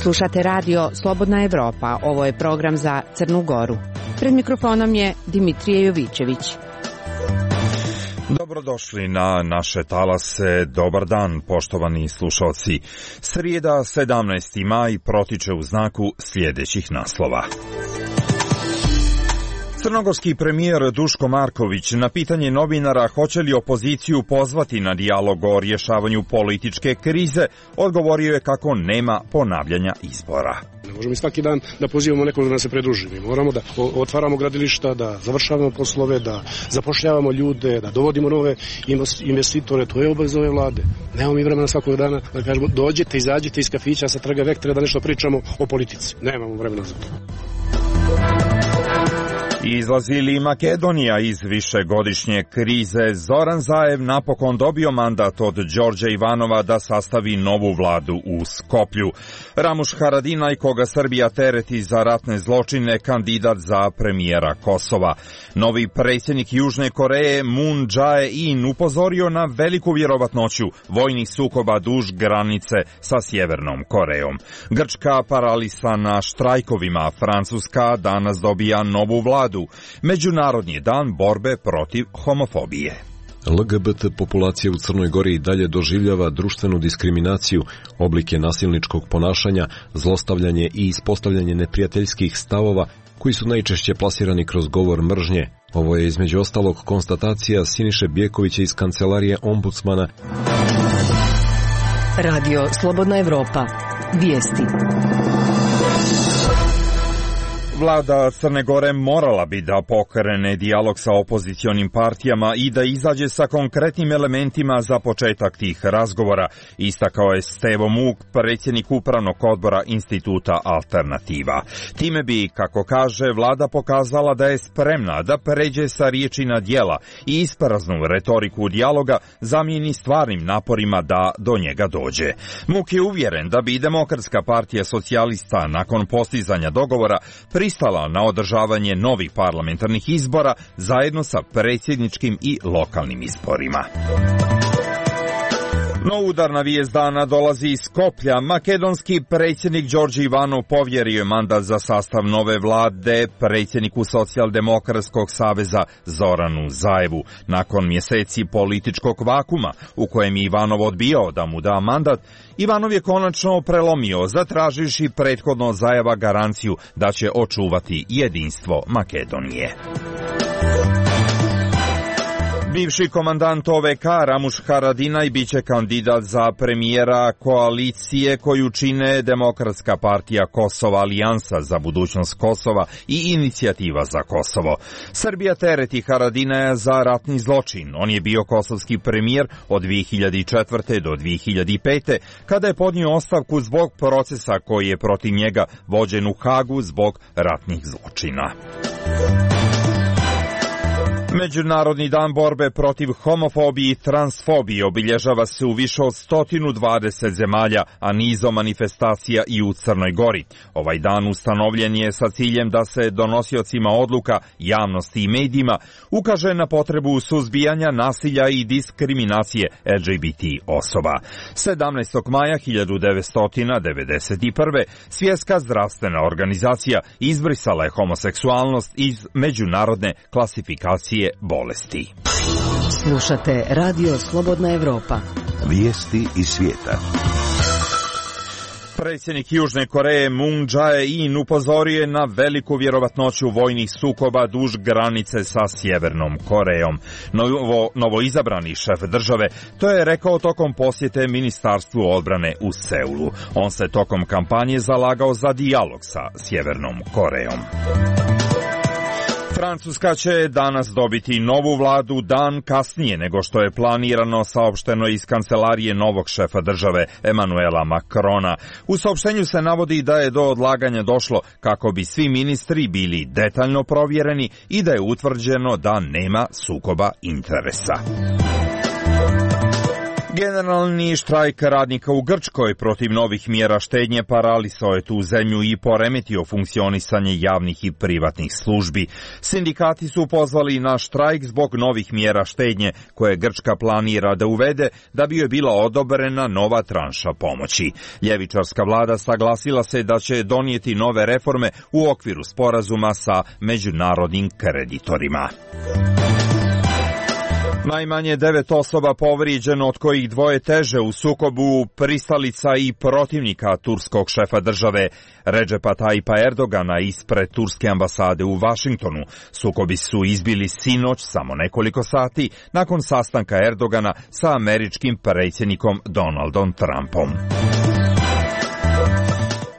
Slušate radio Slobodna Evropa. Ovo je program za Crnu Goru. Pred mikrofonom je Dimitrije Jovićević. Dobrodošli na naše talase. Dobar dan, poštovani slušalci. Srijeda, 17. maj, protiče u znaku sljedećih naslova. Crnogorski premijer Duško Marković na pitanje novinara hoće li opoziciju pozvati na dijalog o rješavanju političke krize, odgovorio je kako nema ponavljanja izbora. Ne možemo i svaki dan da pozivamo nekog da nam se pridruži. Mi moramo da otvaramo gradilišta, da završavamo poslove, da zapošljavamo ljude, da dovodimo nove investitore. To je obaveza ove vlade. Nemamo mi vremena svakog dana da kažemo dođite, izađite iz kafića sa Trga Vektre da nešto pričamo o politici. Nemamo vremena za to. Izlazi li Makedonija iz višegodišnje krize? Zoran Zaev napokon dobio mandat od Đorđa Ivanova da sastavi novu vladu u Skoplju. Ramuš Haradinaj, koga Srbija tereti za ratne zločine, kandidat za premijera Kosova. Novi predsjednik Južne Koreje Moon Jae-in upozorio na veliku vjerovatnoću vojnih sukoba duž granice sa Sjevernom Korejom. Grčka paralisana štrajkovima, Francuska danas dobija novu vladu. Međunarodni dan borbe protiv homofobije. LGBT populacija u Crnoj Gori i dalje doživljava društvenu diskriminaciju, oblike nasilničkog ponašanja, zlostavljanje i ispostavljanje neprijateljskih stavova koji su najčešće plasirani kroz govor mržnje. Ovo je između ostalog konstatacija Siniše Bjekovića iz kancelarije ombudsmana. Radio Slobodna Evropa. Vijesti. Vlada Crne Gore morala bi da pokrene dijalog sa opozicionim partijama i da izađe sa konkretnim elementima za početak tih razgovora, istakao je Stevo Muk, predsjednik upravnog odbora Instituta Alternativa. Time bi, kako kaže, vlada pokazala da je spremna da pređe sa riječi na djela i ispraznu retoriku dijaloga zamijeni stvarnim naporima da do njega dođe. Muk je uvjeren da bi Demokratska partija socijalista nakon postizanja dogovora pristala na održavanje novih parlamentarnih izbora zajedno sa predsjedničkim i lokalnim izborima. No udarna vijest dana dolazi iz Skoplja. Makedonski predsjednik Đorđe Ivanov povjerio je mandat za sastav nove vlade predsjedniku Socijaldemokratskog saveza Zoranu Zaevu. Nakon mjeseci političkog vakuma u kojem je Ivanov odbijao da mu da mandat, Ivanov je konačno prelomio, zatraživši prethodno Zaeva garanciju da će očuvati jedinstvo Makedonije. Bivši komandant OVK Ramuš Haradinaj biće kandidat za premijera koalicije koju čine Demokratska partija Kosova, Alijansa za budućnost Kosova i Inicijativa za Kosovo. Srbija tereti Haradinaja za ratni zločin. On je bio kosovski premijer od 2004. do 2005. kada je podnio ostavku zbog procesa koji je protiv njega vođen u Hagu zbog ratnih zločina. Međunarodni dan borbe protiv homofobije i transfobije obilježava se u više od 120 zemalja, a nizom manifestacija i u Crnoj Gori. Ovaj dan ustanovljen je sa ciljem da se donosiocima odluka, javnosti i medijima ukaže na potrebu suzbijanja nasilja i diskriminacije LGBT osoba. 17. maja 1991. Svjetska zdravstvena organizacija izbrisala je homoseksualnost iz međunarodne klasifikacije bolesti. Slušate Radio Slobodna Evropa. Vijesti iz svijeta. Predsjednik Južne Koreje Moon Jae-in upozorio je na veliku vjerovatnoću vojnih sukoba duž granice sa Sjevernom Korejom. Novoizabrani šef države to je rekao tokom posjete Ministarstvu odbrane u Seulu. On se tokom kampanje zalagao za dijalog sa Sjevernom Korejom. Francuska će danas dobiti novu vladu dan kasnije nego što je planirano, saopšteno iz kancelarije novog šefa države Emmanuela Macrona. U saopštenju se navodi da je do odlaganja došlo kako bi svi ministri bili detaljno provjereni i da je utvrđeno da nema sukoba interesa. Generalni štrajk radnika u Grčkoj protiv novih mjera štednje paralisao je tu zemlju i poremetio funkcionisanje javnih i privatnih službi. Sindikati su pozvali na štrajk zbog novih mjera štednje koje Grčka planira da uvede da bi joj bila odobrena nova tranša pomoći. Ljevičarska vlada saglasila se da će donijeti nove reforme u okviru sporazuma sa međunarodnim kreditorima. Najmanje 9 osoba povrijeđeno, od kojih 2 teže u sukobu pristalica i protivnika turskog šefa države Redžepa Tajipa Erdogana ispred turske ambasade u Vašingtonu. Sukobi su izbili sinoć, samo nekoliko sati, nakon sastanka Erdogana sa američkim predsjednikom Donaldom Trumpom.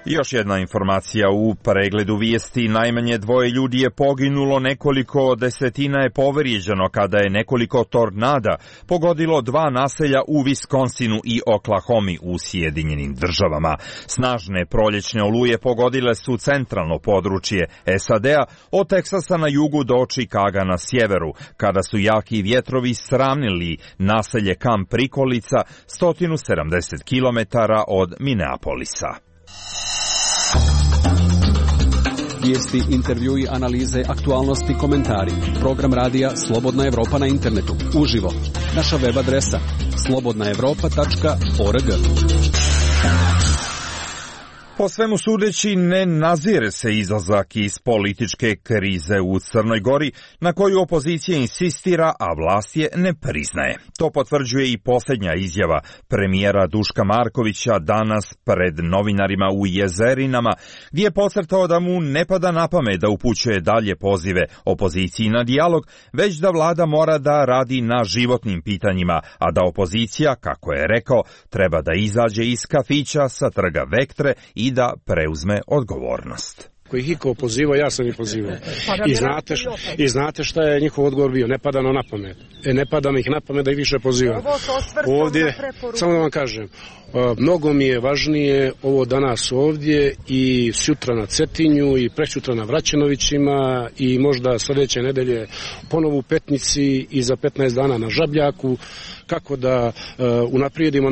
Još jedna informacija u pregledu vijesti. Najmanje 2 ljudi je poginulo, nekoliko desetina je povrijeđeno kada je nekoliko tornada pogodilo 2 naselja u Wisconsinu i Oklahomi u Sjedinjenim državama. Snažne proljećne oluje pogodile su centralno područje SAD-a od Teksasa na jugu do Čikaga na sjeveru, kada su jaki vjetrovi sravnili naselje Kamp Prikolica 170 km od Minneapolisa. Vijesti, intervjui, analize, aktualnosti, komentari. Program radija Slobodna Evropa na internetu. Uživo. Naša web adresa slobodnaevropa.org. Po svemu sudeći ne nazire se izlazak iz političke krize u Crnoj Gori, na koju opozicija insistira, a vlast je ne priznaje. To potvrđuje i posljednja izjava premijera Duška Markovića danas pred novinarima u Jezerinama, gdje je podcrtao da mu ne pada na pamet da upućuje dalje pozive opoziciji na dijalog, već da vlada mora da radi na životnim pitanjima, a da opozicija, kako je rekao, treba da izađe iz kafića sa trga Vektre i da preuzme odgovornost. Koji ih iko pozivao, ja sam ih pozivao. I znate šta je njihov odgovor bio? Ne pada na pamet. Ne pada mi ih na pamet da ih više pozivam. Ovdje, samo da vam kažem, mnogo mi je važnije ovo danas ovdje i sutra na Cetinju i presutra na Vraćenovićima i možda sljedeće nedelje ponovo u Petnici i za 15 dana na Žabljaku, kako da unaprijedimo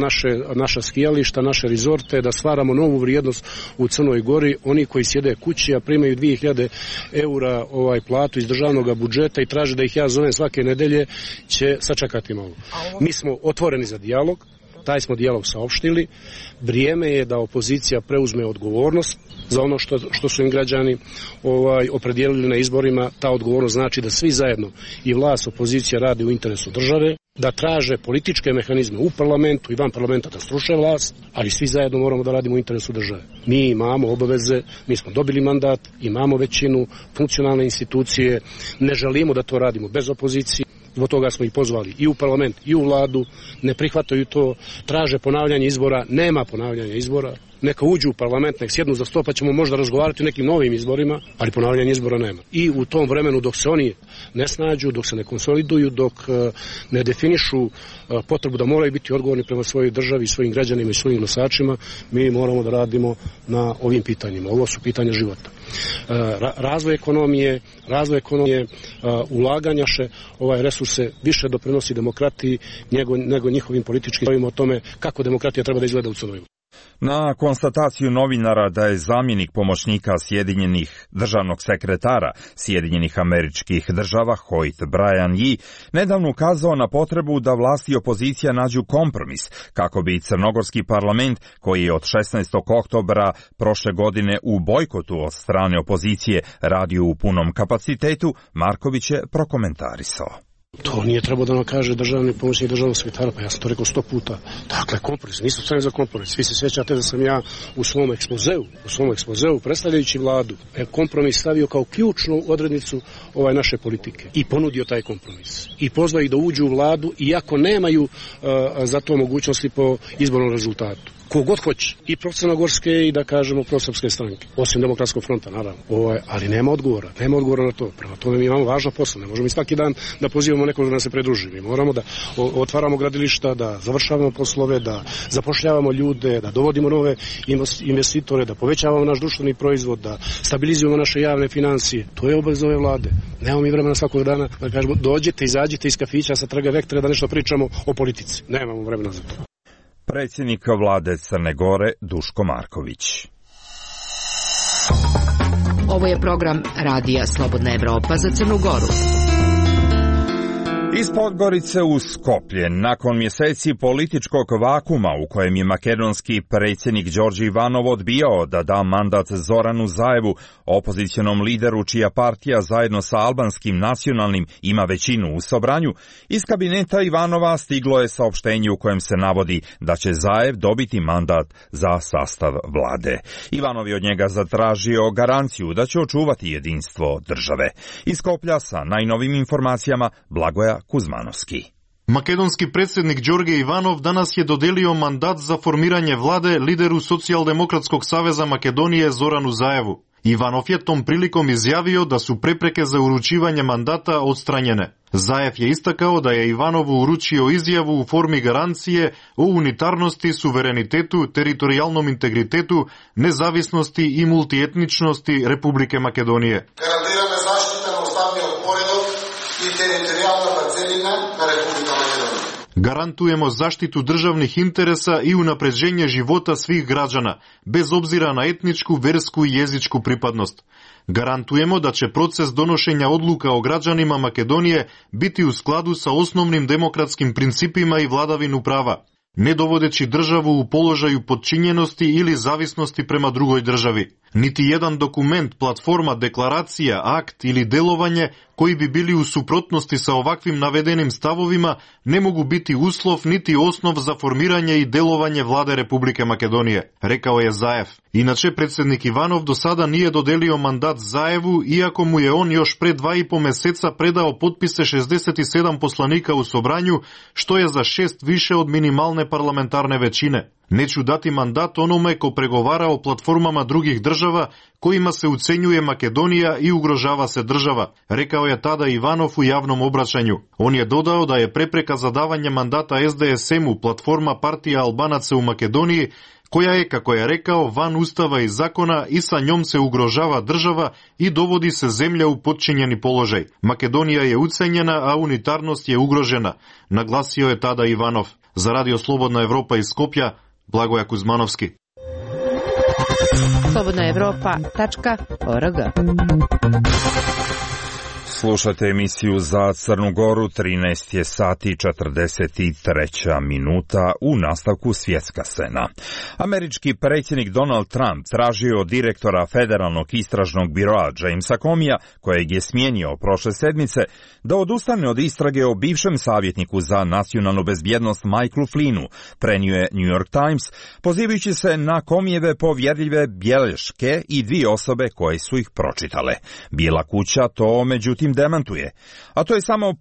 naša skijališta, naše rizorte, da stvaramo novu vrijednost u Crnoj Gori. Oni koji sjede kući, a primaju 2000 eura platu iz državnog budžeta i traže da ih ja zovem svake nedelje, će sačekati malo. Mi smo otvoreni za dijalog, taj smo dijalog saopštili. Vrijeme je da opozicija preuzme odgovornost za ono što su im građani opredijelili na izborima. Ta odgovornost znači da svi zajedno, i vlast, opozicija, radi u interesu države, da traže političke mehanizme u parlamentu i van parlamenta da sruše vlast, ali svi zajedno moramo da radimo u interesu države. Mi imamo obaveze, mi smo dobili mandat, imamo većinu, funkcionalne institucije, ne želimo da to radimo bez opozicije. Zbog toga smo ih pozvali i u parlament i u vladu, ne prihvataju to, traže ponavljanje izbora, nema ponavljanja izbora. Neka uđu u parlament, nek sjednu za sto, pa ćemo možda razgovarati o nekim novim izborima, ali ponavljanje izbora nema. I u tom vremenu dok se oni ne snađu, dok se ne konsoliduju, dok ne definišu potrebu da moraju biti odgovorni prema svojoj državi, svojim građanima i svojim glasačima, mi moramo da radimo na ovim pitanjima. Ovo su pitanja života. Razvoj ekonomije, ulaganja resurse više doprinosi demokratiji nego njihovim političkim stavima o tome kako demokratija treba da izgleda u Crnoj Gori. Na konstataciju novinara da je zamjenik pomoćnika Sjedinjenih državnog sekretara Sjedinjenih Američkih Država Hoyt Brian Yee nedavno ukazao na potrebu da vlast i opozicija nađu kompromis kako bi crnogorski parlament, koji je od 16. oktobra prošle godine u bojkotu od strane opozicije radio u punom kapacitetu, Marković je prokomentarisao. To nije trebalo da nam kaže državni pomoćnik državnog sekretara, pa ja sam to rekao 100 puta. Dakle, kompromis, nisu strani za kompromis. Vi se sjećate da sam ja u svom ekspozeu predstavljajući vladu kompromis stavio kao ključnu odrednicu naše politike i ponudio taj kompromis. I pozvao ih da uđu u vladu, iako nemaju za to mogućnosti po izbornom rezultatu. kogod hoće, i pro-crnogorske i da kažemo pro-srpske stranke, osim Demokratskog fronta, naravno. Ali nema odgovora na to. Prema tome mi imamo važno posao, ne možemo i svaki dan da pozivamo nekog da nam se pridruži. Mi moramo da otvaramo gradilišta, da završavamo poslove, da zapošljavamo ljude, da dovodimo nove investitore, da povećavamo naš društveni proizvod, da stabilizujemo naše javne financije. To je obaveza ove vlade. Nemamo mi vremena svakog dana da kažemo dođete, izađite iz kafića sa Trga Vektre da nešto pričamo o politici. Nemamo vremena za to. Predsjednik vlade Crne Gore Duško Marković. Ovo je program Radija Slobodna Evropa za Crnu Goru. Iz Podgorice u Skoplje, nakon mjeseci političkog vakuma u kojem je makedonski predsjednik Đorđe Ivanov odbijao da da mandat Zoranu Zaevu, opozicionom lideru čija partija zajedno sa albanskim nacionalnim ima većinu u Sobranju, iz kabineta Ivanova stiglo je saopštenje u kojem se navodi da će Zaev dobiti mandat za sastav vlade. Ivanov je od njega zatražio garanciju da će očuvati jedinstvo države. Iz Skoplja sa najnovim informacijama Blagoja Kuzmanovski. Makedonski predsjednik Đorđe Ivanov danas je dodelio mandat za formiranje vlade lideru Socijaldemokratskog saveza Makedonije Zoranu Zaevu. Ivanov je tom prilikom izjavio da su prepreke za uručivanje mandata odstranjene. Zaev je istakao da je Ivanovu uručio izjavu u formi garancije o unitarnosti, suverenitetu, teritorijalnom integritetu, nezavisnosti i multietničnosti Republike Makedonije. Garantirаме zaštita na ustavниот поредок i teritorijalna parcelina na Republika Makedonija. Garantujemo zaštitu državnih interesa i unapređenje života svih građana, bez obzira na etničku, versku i jezičku pripadnost. Garantujemo da će proces donošenja odluka o građanima Makedonije biti u skladu sa osnovnim demokratskim principima i vladavinu prava, ne dovodeći državu u položaju podčinjenosti ili zavisnosti prema drugoj državi. Niti jedan dokument, platforma, deklaracija, akt ili delovanje koji bi bili u suprotnosti sa ovakvim navedenim stavovima ne mogu biti uslov niti osnov za formiranje i delovanje vlade Republike Makedonije, rekao je Zaev. Inače, predsjednik Ivanov do sada nije dodelio mandat Zaevu, iako mu je on još pre 2,5 meseca predao potpise 67 poslanika u Sobranju, što je za 6 više od minimalne parlamentarne većine. Neću dati mandat onome ko pregovara o platformama drugih država kojima se ucenjuje Makedonija i ugrožava se država, rekao je tada Ivanov u javnom obraćanju. On je dodao da je prepreka za davanje mandata SDSM-u platforma partija Albanaca u Makedoniji, koja je, kako je rekao, van ustava i zakona i sa njom se ugrožava država i dovodi se zemlja u podčinjeni položaj. Makedonija je ucenjena, a unitarnost je ugrožena, naglasio je tada Ivanov. Za Radio Slobodna Evropa iz Skopja, Blagoja Kuzmanovski. slobodnaevropa.org. Slušate emisiju za Crnu Goru, 13 je sati 43 minuta, u nastavku svjetska scena. Američki predsjednik Donald Trump tražio od direktora Federalnog istražnog biroa Jamesa Comeyja, kojeg je smijenio prošle sedmice, da odustane od istrage o bivšem savjetniku za nacionalnu bezbjednost Michaelu Flynnu, prenio je New York Times, pozivajući se na Comeyjeve povjerljive bilješke i 2 osobe koje su ih pročitale. Bijela kuća to međutim demantuje, a to je samo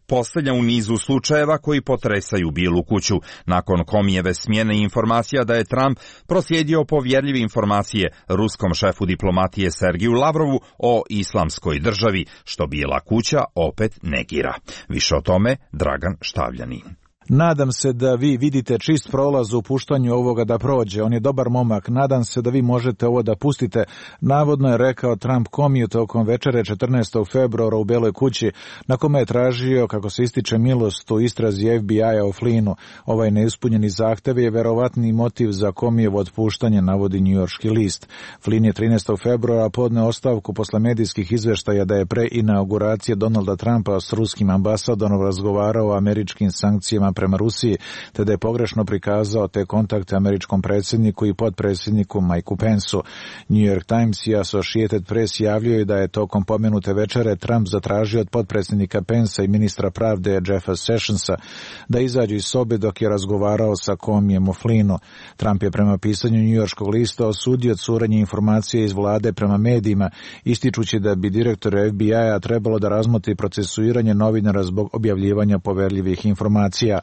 posljednja u nizu slučajeva koji potresaju Bijelu kuću. Nakon Comeyjeve smjene informacija da je Trump proslijedio povjerljive informacije ruskom šefu diplomatije Sergiju Lavrovu o islamskoj državi, što Bijela kuća opet negira. Više o tome Dragan Štavljanin. Nadam se da vi vidite čist prolaz u puštanju ovoga da prođe. On je dobar momak. Nadam se da vi možete ovo da pustite. Navodno je rekao Trump Comeyju tokom večere 14. februara u Beloj kući, na kome je tražio, kako se ističe, milost u istrazi FBI-a o Flynnu. Ovaj neispunjeni zahtev je verovatni motiv za Comeyjevo otpuštanje, navodi njujorški list. Flynn je 13. februara podneo ostavku posle medijskih izveštaja da je pre inauguracije Donalda Trumpa s ruskim ambasadorom razgovarao o američkim sankcijama prema Rusiji, te da je pogrešno prikazao te kontakte američkom predsjedniku i potpredsjedniku Mikeu Pensu. New York Times i Associated Press javljaju da je tokom pomenute večere Trump zatražio od potpredsjednika Pensa i ministra pravde Jeffa Sessionsa da izađu iz sobe dok je razgovarao sa Comeyjem o Flynnu. Trump je prema pisanju njujorškog lista osudio curenje informacije iz vlade prema medijima, ističući da bi direktor FBI-a trebalo da razmotri procesuiranje novinara zbog objavljivanja poverljivih informacija.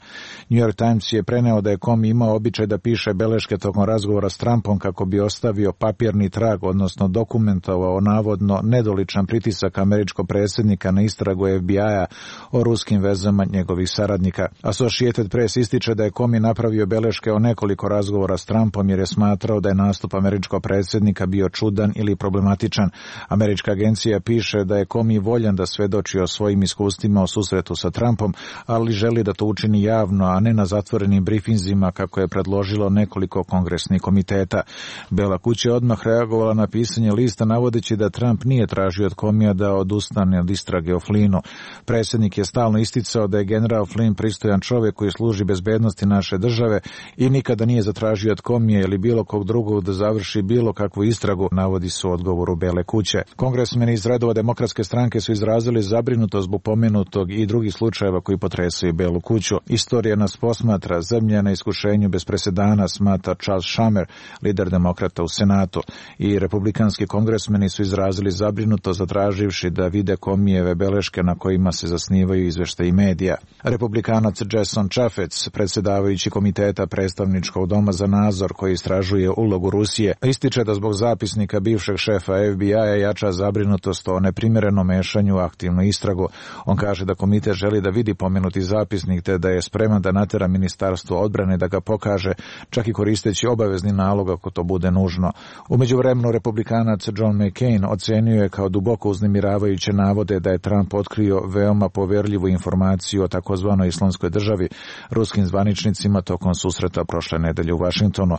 New York Times je preneo da je Comey imao običaj da piše beleške tokom razgovora s Trumpom kako bi ostavio papirni trag, odnosno dokumentovao navodno nedoličan pritisak američkog predsjednika na istragu FBI-a o ruskim vezama njegovih saradnika. Associated Press ističe da je Comey napravio beleške o nekoliko razgovora s Trumpom jer je smatrao da je nastup američkog predsjednika bio čudan ili problematičan. Američka agencija piše da je Comey voljan da svedoči o svojim iskustvima o susretu sa Trumpom, ali želi da to učini javno, a ne na zatvorenim brifinzima kako je predložilo nekoliko kongresnih komiteta. Bela kuća je odmah reagovala na pisanje lista navodeći da Trump nije tražio od Comeyja da odustane od istrage o Flynnu. Predsjednik je stalno isticao da je general Flynn pristojan čovjek koji služi bezbednosti naše države i nikada nije zatražio od Comeyja ili bilo kog drugog da završi bilo kakvu istragu, navodi se u odgovoru Bele kuće. Kongresmeni iz redova Demokratske stranke su izrazili zabrinutost zbog pomenutog i drugih slučajeva koji potresaju Belu kuću. Istorija nas posmatra, zemlja na iskušenju bez presedana, smatra Charles Schumer, lider demokrata u Senatu. I republikanski kongresmeni su izrazili zabrinutost zatraživši da vide Comeyjeve beleške na kojima se zasnivaju izveštaji medija. Republikanac Jason Chaffetz, predsjedavajući komiteta predstavničkog doma za nadzor koji istražuje ulogu Rusije, ističe da zbog zapisnika bivšeg šefa FBI-a jača zabrinutost o neprimjerenom mešanju u aktivnu istragu. On kaže da komitet želi da vidi pomenuti zapisnik te da je spreman da natera ministarstvo odbrane da ga pokaže, čak i koristeći obavezni nalog ako to bude nužno. U međuvremenu republikanac John McCain ocenio je kao duboko uznemiravajuće navode da je Trump otkrio veoma poverljivu informaciju o takozvanoj islamskoj državi ruskim zvaničnicima tokom susreta prošle nedelje u Vašingtonu.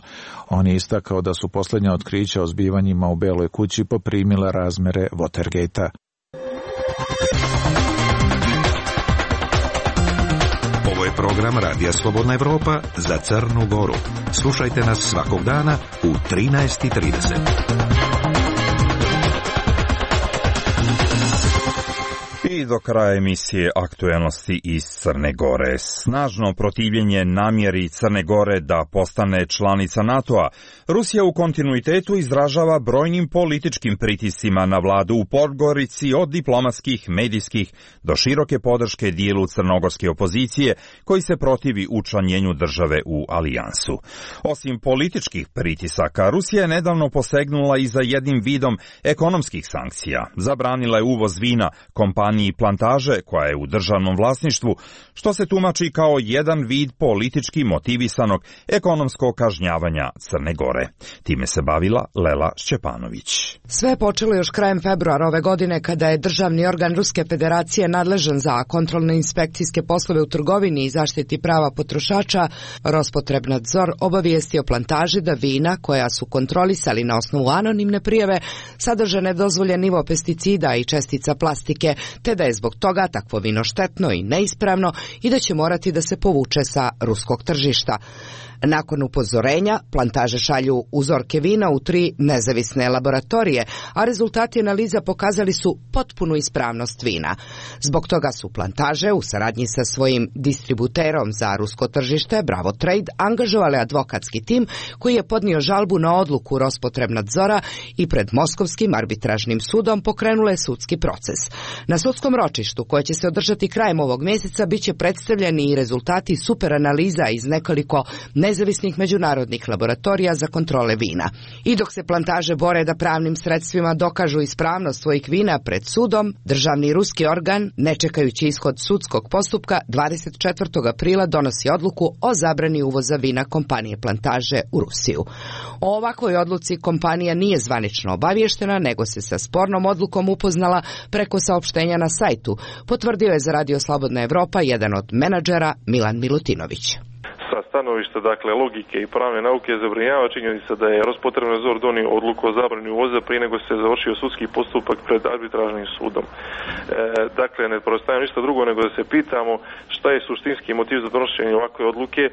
On je istakao da su posljednja otkrića o zbivanjima u Beloj kući poprimila razmere Watergate-a. Ovo je program Radija Slobodna Evropa za Crnu Goru. Slušajte nas svakog dana u 13:30. I do kraja emisije aktuelnosti iz Crne Gore. Snažno protivljenje namjeri Crne Gore da postane članica NATO-a. Rusija u kontinuitetu izražava brojnim političkim pritiscima na vladu u Podgorici od diplomatskih, medijskih do široke podrške dijelu crnogorske opozicije koji se protivi učlanjenju države u alijansu. Osim političkih pritisaka, Rusija je nedavno posegnula i za jednim vidom ekonomskih sankcija. Zabranila je uvoz vina kompaniji Plantaže, koja je u državnom vlasništvu, što se tumači kao jedan vid politički motivisanog ekonomskog kažnjavanja Crne Gore. Time se bavila Lela Šćepanović. Sve je počelo još krajem februara ove godine kada je državni organ Ruske federacije nadležan za kontrolne inspekcijske poslove u trgovini i zaštiti prava potrošača Rospotrebnadzor obavijestio Plantaži da vina koja su kontrolisali na osnovu anonimne prijave sadrže nedozvoljen nivo pesticida i čestica plastike, te da je zbog toga takvo vino štetno i neispravno i da će morati da se povuče sa ruskog tržišta. Nakon upozorenja, Plantaže šalju uzorke vina u 3 nezavisne laboratorije, a rezultati analiza pokazali su potpunu ispravnost vina. Zbog toga su Plantaže u saradnji sa svojim distributerom za rusko tržište Bravo Trade angažovali advokatski tim koji je podnio žalbu na odluku Rospotrebnadzora i pred Moskovskim arbitražnim sudom pokrenule sudski proces. Na sudskom ročištu, koje će se održati krajem ovog mjeseca, biće predstavljeni i rezultati superanaliza iz nekoliko nezavisnih međunarodnih laboratorija za kontrole vina. I dok se Plantaže bore da pravnim sredstvima dokažu ispravnost svojih vina pred sudom, državni ruski organ, ne čekajući ishod sudskog postupka, 24. aprila donosi odluku o zabrani uvoza vina kompanije Plantaže u Rusiju. O ovakvoj odluci kompanija nije zvanično obavještena, nego se sa spornom odlukom upoznala preko saopštenja na sajtu, potvrdio je za Radio Slobodna Evropa jedan od menadžera Milan Milutinović. Sa stanovišta, dakle, logike i pravne nauke zabrinjava činjenica da je Rospotrebnadzor donio odluku o zabrani uvoza prije nego se završio sudski postupak pred arbitražnim sudom. Dakle, ne preostaje ništa drugo nego da se pitamo šta je suštinski motiv za donošenje ovakve odluke,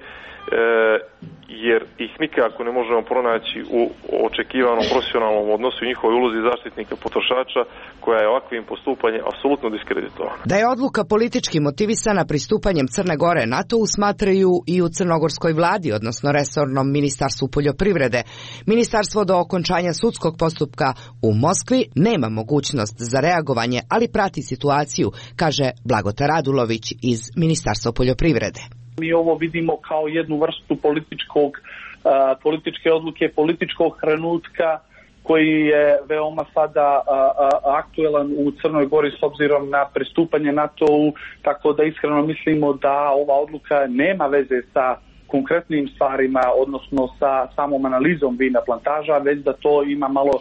jer ih nikako ne možemo pronaći u očekivanom profesionalnom odnosu i njihovoj ulozi zaštitnika potrošača, koja je ovakvim postupanjem apsolutno diskreditovana. Da je odluka politički motivisana pristupanjem Crne Gore NATO-u smatraju i u crnogorskoj vladi, odnosno resornom ministarstvu poljoprivrede. Ministarstvo do okončanja sudskog postupka u Moskvi nema mogućnost za reagovanje, ali prati situaciju, kaže Blagota Radulović iz Ministarstva poljoprivrede. Mi ovo vidimo kao jednu vrstu političke odluke, političkog trenutka koji je veoma sada aktuelan u Crnoj Gori s obzirom na pristupanje NATO-u, tako da iskreno mislimo da ova odluka nema veze sa konkretnim stvarima, odnosno sa samom analizom vina plantaža, već da to ima malo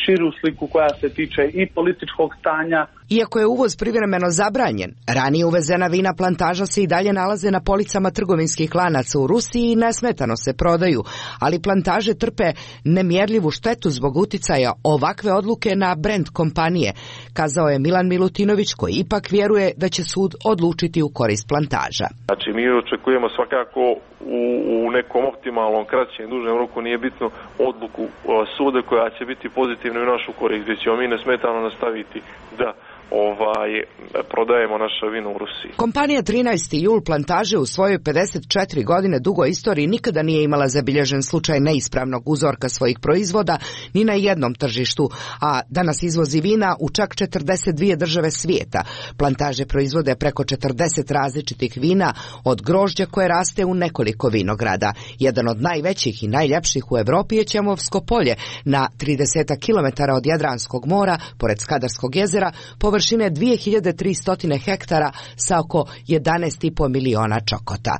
širu sliku koja se tiče i političkog stanja. Iako je uvoz privremeno zabranjen, ranije uvezena vina plantaža se i dalje nalaze na policama trgovinskih lanaca u Rusiji i nesmetano se prodaju, ali plantaže trpe nemjerljivu štetu zbog uticaja ovakve odluke na brend kompanije, kazao je Milan Milutinović, koji ipak vjeruje da će sud odlučiti u korist plantaža. Znači mi očekujemo svakako u nekom optimalnom, kraćem, dužem roku, nije bitno, odluku suda koja će biti pozitivna u našu korist, gdje ćemo mi nesmetano nastaviti da prodajemo naše vino u Rusiji. Kompanija 13. jul plantaže u svojoj 54 godine dugoj istoriji nikada nije imala zabilježen slučaj neispravnog uzorka svojih proizvoda ni na jednom tržištu, a danas izvozi vina u čak 42 države svijeta. Plantaže proizvode preko 40 različitih vina, od grožđa koje raste u nekoliko vinograda. Jedan od najvećih i najljepših u Europi je Ćemovsko polje na 30 km od Jadranskog mora, pored Skadarskog jezera, površine 2300 hektara sa oko 11,5 miliona čokota.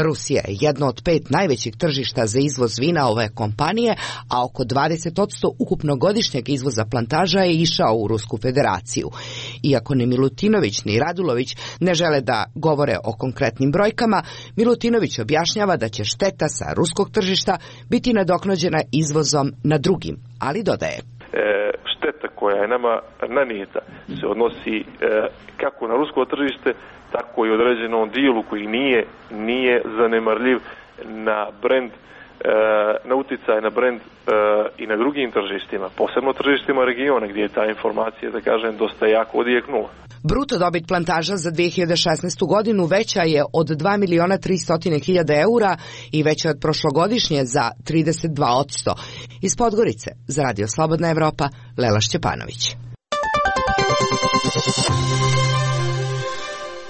Rusija je jedno od 5 najvećih tržišta za izvoz vina ove kompanije, a oko 20% ukupnog godišnjeg izvoza plantaža je išao u Rusku federaciju. Iako ni Milutinović ni Radulović ne žele da govore o konkretnim brojkama, Milutinović objašnjava da će šteta sa ruskog tržišta biti nadoknađena izvozom na drugim, ali dodaje. Šteta koja je nama nanijeta se odnosi kako na rusko tržište, tako i određenom dijelu koji nije zanemarljiv na brend, na uticaj na brend i na drugim tržištima, posebno tržištima regiona gdje je ta informacija, da kažem, dosta jako odjeknula. Bruto dobit plantaža za 2016. godinu veća je od 2.300.000 eura i veća od prošlogodišnje za 32%. Iz Podgorice, za Radio Slobodna Evropa, Lela Šćepanović.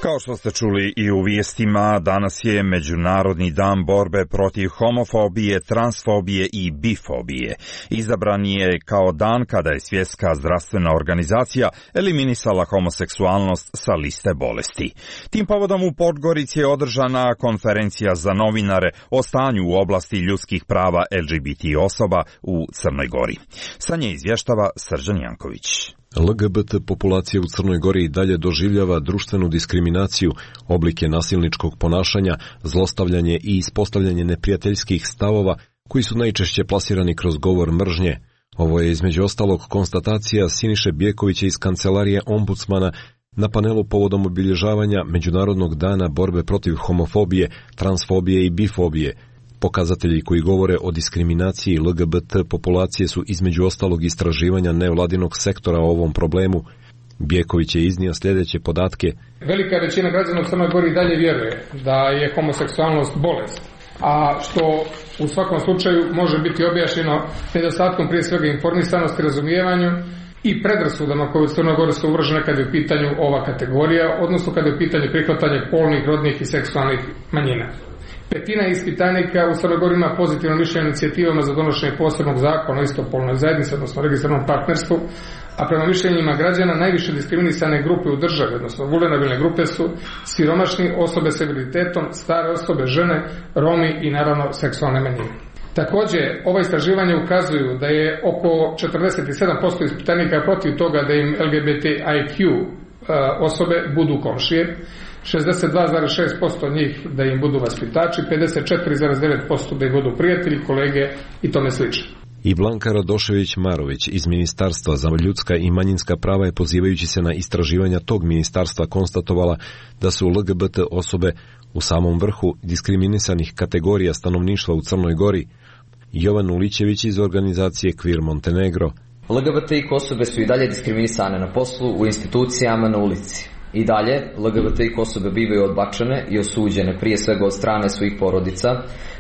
Kao što ste čuli i u vijestima, danas je Međunarodni dan borbe protiv homofobije, transfobije i bifobije. Izabran je kao dan kada je Svjetska zdravstvena organizacija eliminisala homoseksualnost sa liste bolesti. Tim povodom u Podgorici je održana konferencija za novinare o stanju u oblasti ljudskih prava LGBT osoba u Crnoj Gori. Sa nje izvještava Srđan Janković. LGBT populacija u Crnoj Gori i dalje doživljava društvenu diskriminaciju, oblike nasilničkog ponašanja, zlostavljanje i ispostavljanje neprijateljskih stavova koji su najčešće plasirani kroz govor mržnje. Ovo je između ostalog konstatacija Siniše Bjekovića iz kancelarije ombudsmana na panelu povodom obilježavanja Međunarodnog dana borbe protiv homofobije, transfobije i bifobije. Pokazatelji koji govore o diskriminaciji LGBT populacije su između ostalog istraživanja nevladinog sektora o ovom problemu. Bjeković je iznio sljedeće podatke. Velika većina građana u Crnoj Gori dalje vjeruje da je homoseksualnost bolest, a što u svakom slučaju može biti objašnjeno nedostatkom prije svega informisanosti, razumijevanju i predrasudama koje u Crnoj Gori su uvržene kad je u pitanju ova kategorija, odnosno kad je u pitanju prihvatanje polnih, rodnih i seksualnih manjina. Petina ispitanika u Crnoj Gori ima pozitivno mišljenje inicijativama za donošenje posebnog zakona o istopolnoj zajednici, odnosno registriranom partnerstvu, a prema mišljenjima građana najviše diskriminisane grupe u državi, odnosno vulnerabilne grupe su siromašni, osobe s invaliditetom, stare osobe, žene, Romi i naravno seksualne manjine. Također, ova istraživanja ukazuju da je oko 47% ispitanika protiv toga da im LGBTIQ osobe budu komšije, 62,6% njih da im budu vaspitači, 54,9% da im budu prijatelji, kolege i tome slično. I Blanka Radošević-Marović iz Ministarstva za ljudska i manjinska prava je, pozivajući se na istraživanja tog ministarstva, konstatovala da su LGBT osobe u samom vrhu diskriminisanih kategorija stanovništva u Crnoj Gori. Jovan Ulićević iz organizacije Queer Montenegro. LGBTIQ osobe su i dalje diskriminisane na poslu, u institucijama, na ulici. I dalje, LGBTIQ osobe bivaju odbačene i osuđene prije svega od strane svojih porodica,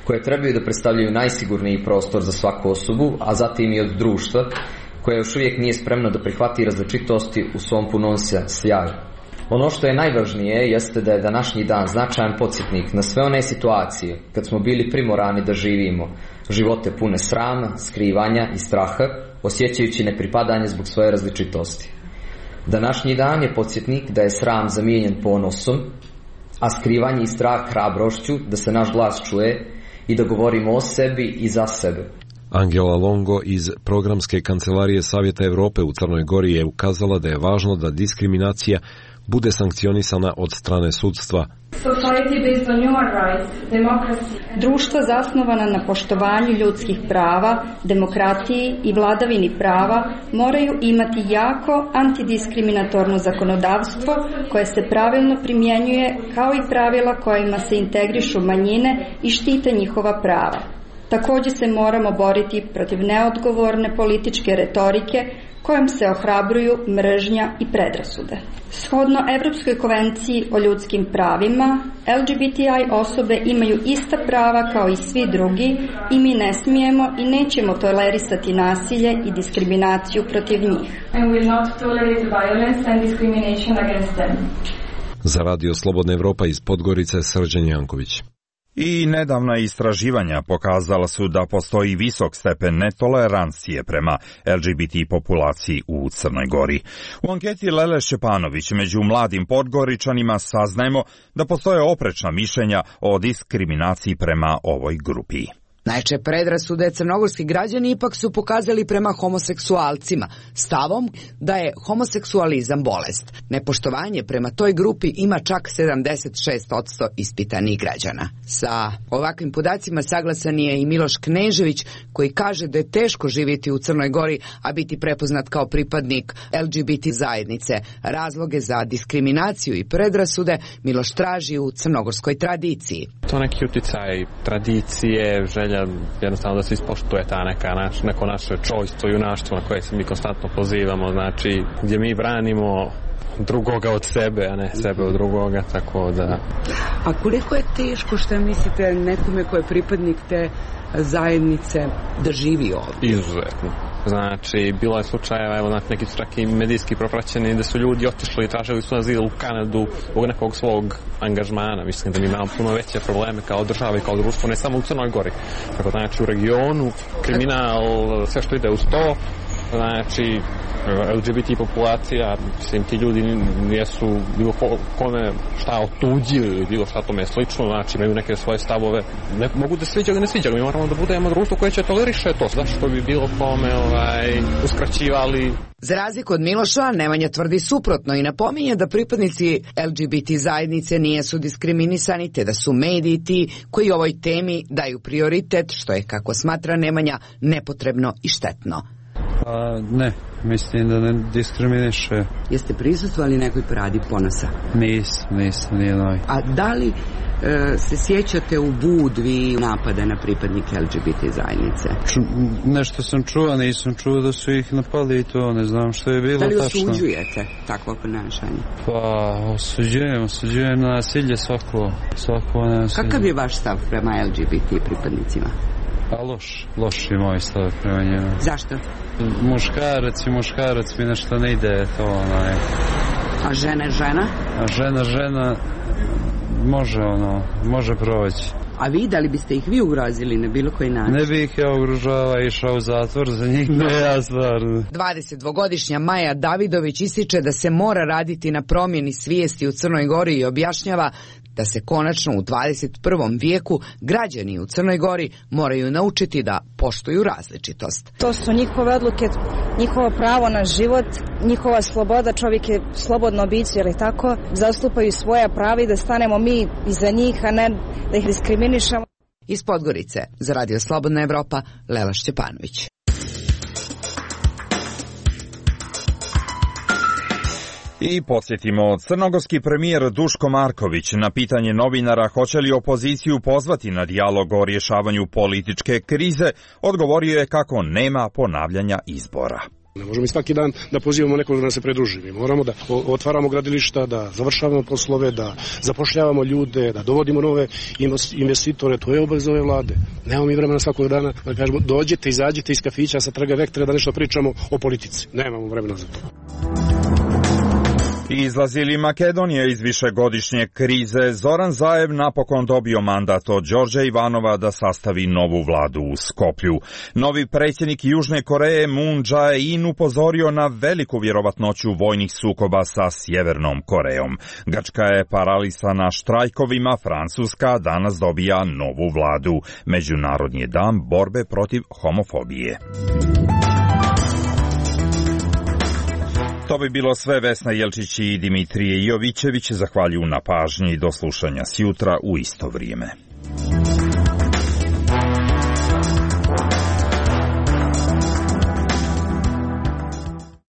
koje trebaju da predstavljaju najsigurniji prostor za svaku osobu, a zatim i od društva, koje još uvijek nije spremno da prihvati različitosti u svom punom sjaju. Ono što je najvažnije jeste da je današnji dan značajan podsjetnik na sve one situacije kad smo bili primorani da živimo živote pune srama, skrivanja i straha, osjećajući nepripadanje zbog svoje različitosti. Današnji dan je podsjetnik da je sram zamijenjen ponosom, a skrivanje i strah hrabrošću da se naš glas čuje i da govorimo o sebi i za sebe. Angela Longo iz Programske kancelarije Savjeta Evrope u Crnoj Gori je ukazala da je važno da diskriminacija bude sankcionisana od strane sudstva. Društvo zasnovano na poštovanju ljudskih prava, demokratiji i vladavini prava moraju imati jako antidiskriminatorno zakonodavstvo koje se pravilno primjenjuje, kao i pravila kojima se integrišu manjine i štite njihova prava. Također se moramo boriti protiv neodgovorne političke retorike kojom se ohrabruju mržnja i predrasude. Shodno Europskoj konvenciji o ljudskim pravima, LGBTI osobe imaju ista prava kao i svi drugi i mi ne smijemo i nećemo tolerisati nasilje i diskriminaciju protiv njih. Za Radio Slobodna Evropa iz Podgorice, Srđan Janković. I nedavna istraživanja pokazala su da postoji visok stepen netolerancije prema LGBT populaciji u Crnoj Gori. U anketi Lele Šćepanović među mladim Podgoričanima saznajemo da postoje oprečna mišljenja o diskriminaciji prema ovoj grupi. Najčešće predrasude crnogorski građani ipak su pokazali prema homoseksualcima, stavom da je homoseksualizam bolest. Nepoštovanje prema toj grupi ima čak 76% ispitanih građana. Sa ovakvim podacima saglasan je i Miloš Knežević, koji kaže da je teško živjeti u Crnoj Gori, a biti prepoznat kao pripadnik LGBT zajednice. Razloge za diskriminaciju i predrasude Miloš traži u crnogorskoj tradiciji. To neki uticaj tradicije, želja jednostavno da se ispoštuje ta neko naše čojstvo, junaštvo na koje se mi konstantno pozivamo, znači gdje mi branimo drugoga od sebe, a ne sebe od drugoga, tako da... A koliko je teško, što mislite, nekome ko je pripadnik te zajednice da živi ovdje? Izuzetno. Znači, bilo je slučajeva, evo, neki su čak i medijski propraćeni, da su ljudi otišli i tražili su azil u Kanadu zbog nekog svog angažmana. Mislim da mi imamo puno veće probleme kao država i kao društvo, ne samo u Crnoj Gori. Tako, znači, u regionu, kriminal, sve što ide uz to, znači, LGBT populacija, mislim, ti ljudi nisu bilo kome šta otuđili ili bilo šta tome slično, znači imaju neke svoje stavove, ne mogu da sviđaju ili ne sviđaju, mi moramo da budemo društvo koje će toleriše to, zašto bi bilo kome uskraćivali. Za razliku od Miloša, Nemanja tvrdi suprotno i napominje da pripadnici LGBT zajednice nisu diskriminisani, te da su mediji ti koji ovoj temi daju prioritet, što je, kako smatra Nemanja, nepotrebno i štetno. Ne, mislim da ne diskriminiše. Jeste prisustvovali nekoj paradi ponosa? Nisam, nije novi. A da li se sjećate u Budvi napada na pripadnike LGBT zajednice? Nešto sam čuo, nisam čuo da su ih napali i to, ne znam što je bilo tačno. Da li osuđujete takvo ponašanje? Pa, osuđujem nasilje svako nasilje. Kakav je vaš stav prema LGBT pripadnicima? Pa loš je moj stav prema njemu. Zašto? Muškarac mi nešto ne ide to, A žena? A žena može proći. A vi, da li biste ih vi ugrozili na bilo koji način? Ne bih ja ugrožava, išao u zatvor za njih, ne ja stvarno. 22-godišnja Maja Davidović ističe da se mora raditi na promjeni svijesti u Crnoj Gori i objašnjava da se konačno u 21. vijeku građani u Crnoj Gori moraju naučiti da poštuju različitost. To su njihove odluke, njihovo pravo na život, njihova sloboda, čovjek je slobodno biće, ili tako, zastupaju svoja prava i da stanemo mi iza njih, a ne da ih diskriminišemo. Iz Podgorice, za Radio Slobodna Evropa, Lela Šćepanović. I podsjetimo, crnogorski premijer Duško Marković na pitanje novinara hoće li opoziciju pozvati na dijalog o rješavanju političke krize, odgovorio je kako nema ponavljanja izbora. Ne možemo i svaki dan da pozivamo nekog da nam se pridruži. Mi moramo da otvaramo gradilišta, da završavamo poslove, da zapošljavamo ljude, da dovodimo nove investitore. To je obaveza ove vlade. Nemamo mi vremena svakog dana da kažemo dođite, izađite iz kafića sa Trga Vektora da nešto pričamo o politici. Nemamo vremena za to. Izlazili Makedonija iz višegodišnje krize, Zoran Zaev napokon dobio mandat od Đorđa Ivanova da sastavi novu vladu u Skoplju. Novi predsjednik Južne Koreje Moon Jae-in upozorio na veliku vjerovatnoću vojnih sukoba sa Sjevernom Korejom. Grčka je paralisana štrajkovima, Francuska danas dobija novu vladu. Međunarodni je dan borbe protiv homofobije. To bi bilo sve. Vesna Jelčić i Dimitrije Jovićević zahvaljuju na pažnji. Do slušanja sjutra u isto vrijeme.